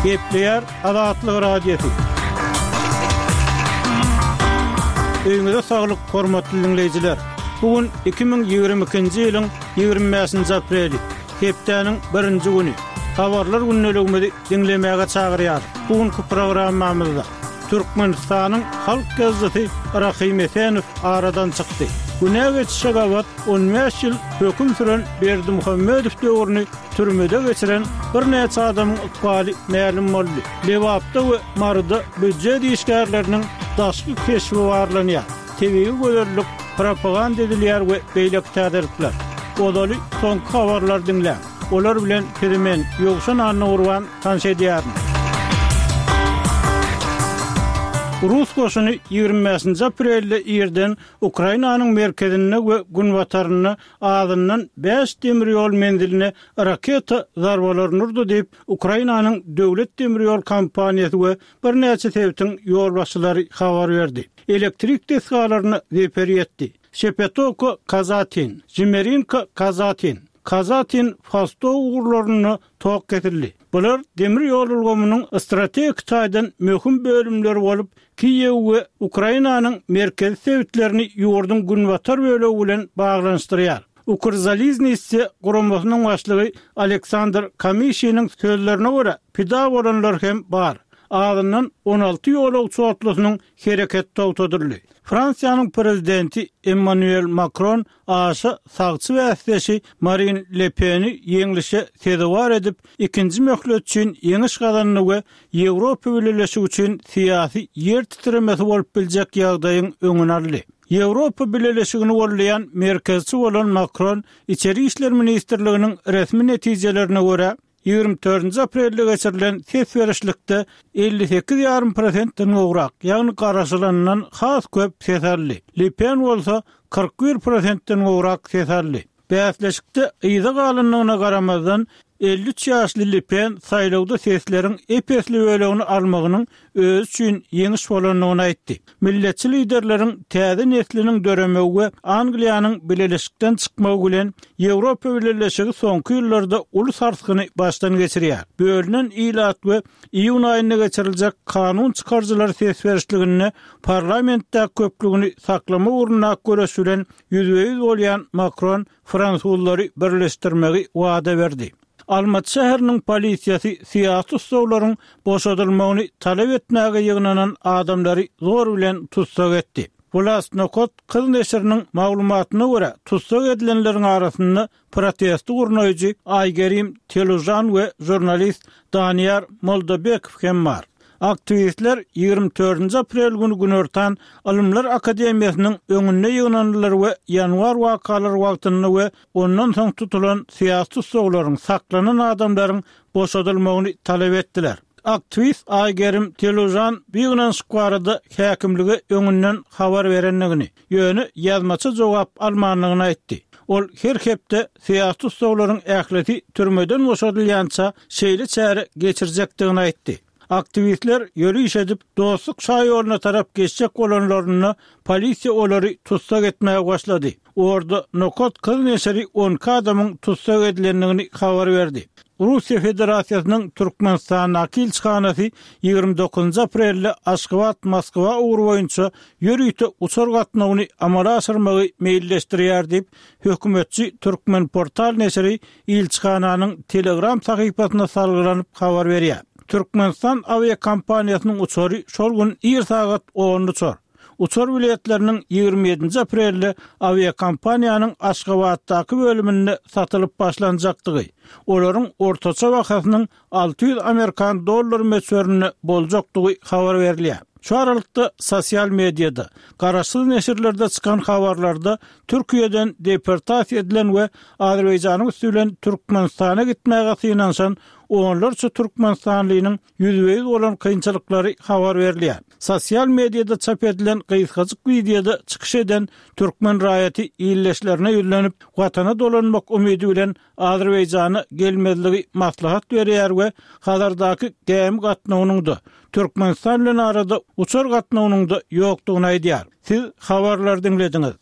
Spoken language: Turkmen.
Gepleýär Azatlyk Radiosy. Öýüňize saglyk, hormatly diňleýjiler! Bu gün 2022-nji ýylyň 25-nji apreli, hepdäniň birinji güni. Habarlar gündeligimizi diňlemäge çagyrýarys. Bu günki programmamyzda Türkmenistanyň halk ýazyjysy Rahym Esenow aradan çykdy. Günä geçişe gabat 15 ýyl höküm süren Berdimuhamedow döwrüni türmede geçiren birnäçe adamyň ykbaly mälim boldy. Lebapda we Maryda býujet işgärleriniň daşky keşbi barlanýar, tebigy gözellik propaganda edilýär we beýleki täzelikler. Ozaly soňky habarlary diňläň. Olar bilen sizi men, Ýowşan Annagurban, tanyş edýärin. Rus goşuny 25-nji aprelde irden Ukrainanyň merkezinde we günbatarynda azyndan bäş demir ýol menziline raketa zarbalaryny urdy diýip, Ukrainanyň döwlet demir ýol kompaniýasy we birnäçe sebitiň ýolbaşçylary habar berdi. Elektrik desgalaryna zeper ýetdi. Şepetowka Kazatin, Žmerinka Kazatin, Kazatin Fastow ugurlarynda tok kesildi. Bular demir ýol ulgamynyň strategik taýdan möhüm bölümleri bolup, Kiýew we Ukrainanyň merkezi sebitlerini ýurduň günbatar bölegi bilen baglanyşdyrýar. Ukrzaliznisýa guramasynyň başlygy Aleksandr Kamyşiniň sözlerine görä, pida bolanlar hem bar. Azyndan 16 ýolagçy otlusynyň hereketi togtadyldy. Fransiýanyň prezidenti Emmanuel Makron aşa sagçy bäsdeşi Marin Le Peni ýeňlişe sezewar edip, ikinji möhlet üçin ýeňiş gazandy we Ýewropa Bileleşigi üçin syýasy ýer titremesi bolup biljek ýagdaýyň öňüni aldy. Ýewropa Bileleşigini goldaýan merkezçi bolan Makron Içeri işler ministrliginiň resmi netijelerine görä, 24-nji aprelde geçirilen ses berişlikde 58 ýarym prosentden gowrak, ýagny garaşylanyndan has köp ses aldy. Le Pen bolsa 41 prosentden gowrak ses aldy. Bäsleşikde yza galandygyna garamazdan, 53 ýaşly Le Pen saýlawda sesleriň ep-esli bölegini almagynyň özi üçin ýeňiş bolandygyny aýtdy. Milletçi liderleriň täze nesliniň döremegi we Angliýanyň bileleşikden çykmagy bilen Ýewropa Bileleşigi soňky ýyllarda uly sarsgyny başdan geçirýär. Bölünen ilat we iýun aýynda geçiriljek kanun çykaryjylar ses berişliginde parlamentdäki köplügini saklamak ugrundaky göreş bilen ýüzbe-ýüz bolýan Makron fransuzlary birleşdirmegi wada berdi. Almaty şäheriniň polisiýasy syýasy tussaglaryň boşadylmagyny talap etmäge ýygnanan adamlary zor bilen tussag etdi. Wlast Nokat kyz neşiriniň maglumatyna görä, tussag edilenleriň arasynda protesti gurnaýjy Aýgerim Telužan we žurnalist Daniýar Moldabekow hem bar. Aktiwistler 24-nji aprel güni günortan Ylymlar akademiýasynyň öňünde ýygnandylar we ýanwar wakalary wagtynda we ondan soň tutulan syýasy tussaglaryň, saklanan adamlaryň boşadylmagyny talap etdiler. Aktiwist Aýgerim Telužan bu ýygnanyşyk barada häkimlige öňünden habar berendigini, ýöne ýazmaça jogap almandygyny aýtdy. Ol her hepde syýasy tussaglaryň ählisi türmeden boşadylýança şeýle çäre geçirjekdigini aýtdy. Aktiwistler ýöriş edip, Dostluk şaýoluna tarap geçjek bolanlarynda, polisiýa olary tussag etmäge başlady. Orda Nokat kyz neşiri 12 adamyň tussag edilendigini habar berdi. Russiýa Federasiýasynyň Türkmenistandaky ilçihanasy 29 aprelde Aşgabat-Moskwa ugry boýunça ýörite uçar gatnawyny amala aşyrmagy meýilleşdirýär diýip, hökümetçi Türkmenportal neşiri ilçihananyň Telegram sahypasyna salgylanyp habar berýär. Türkmenistan awiakompaniýasynyň uçary şol gün ir sagat onda uçar. Uçar biletleriniň 27-nji aprelde awiakompaniýanyň Aşgabatdaky bölüminde satylyp başlanjakdygy, olaryň ortaça bahasynyň 600 amerikan dollary möçberinde boljakdygy habar berilýär. Şu aralykda, sosial mediada, garaşsyz neşirlerde çykan habarlarda Türkiýeden deportasiýa edilen we Azerbaýjanyň üsti bilen Türkmenistana gitmäge synanyşan onlarça türkmenistanlynyň ýüzbe-ýüz bolan kynçylyklary habar berilýär. Sosial mediada çap edilen gysgajyk wideoda çykyş eden türkmen raýaty ildeşlerine ýüzlenip, Watana dolanmak umydy bilen Azerbaýjana gelmezligi maslahat berýär we Hazardaky gämi gatnawynyň-da, Türkmenistan bilen arada uçar gatnawynyň-da ýokdugyny aýdýar. Siz habarlary diňlediňiz.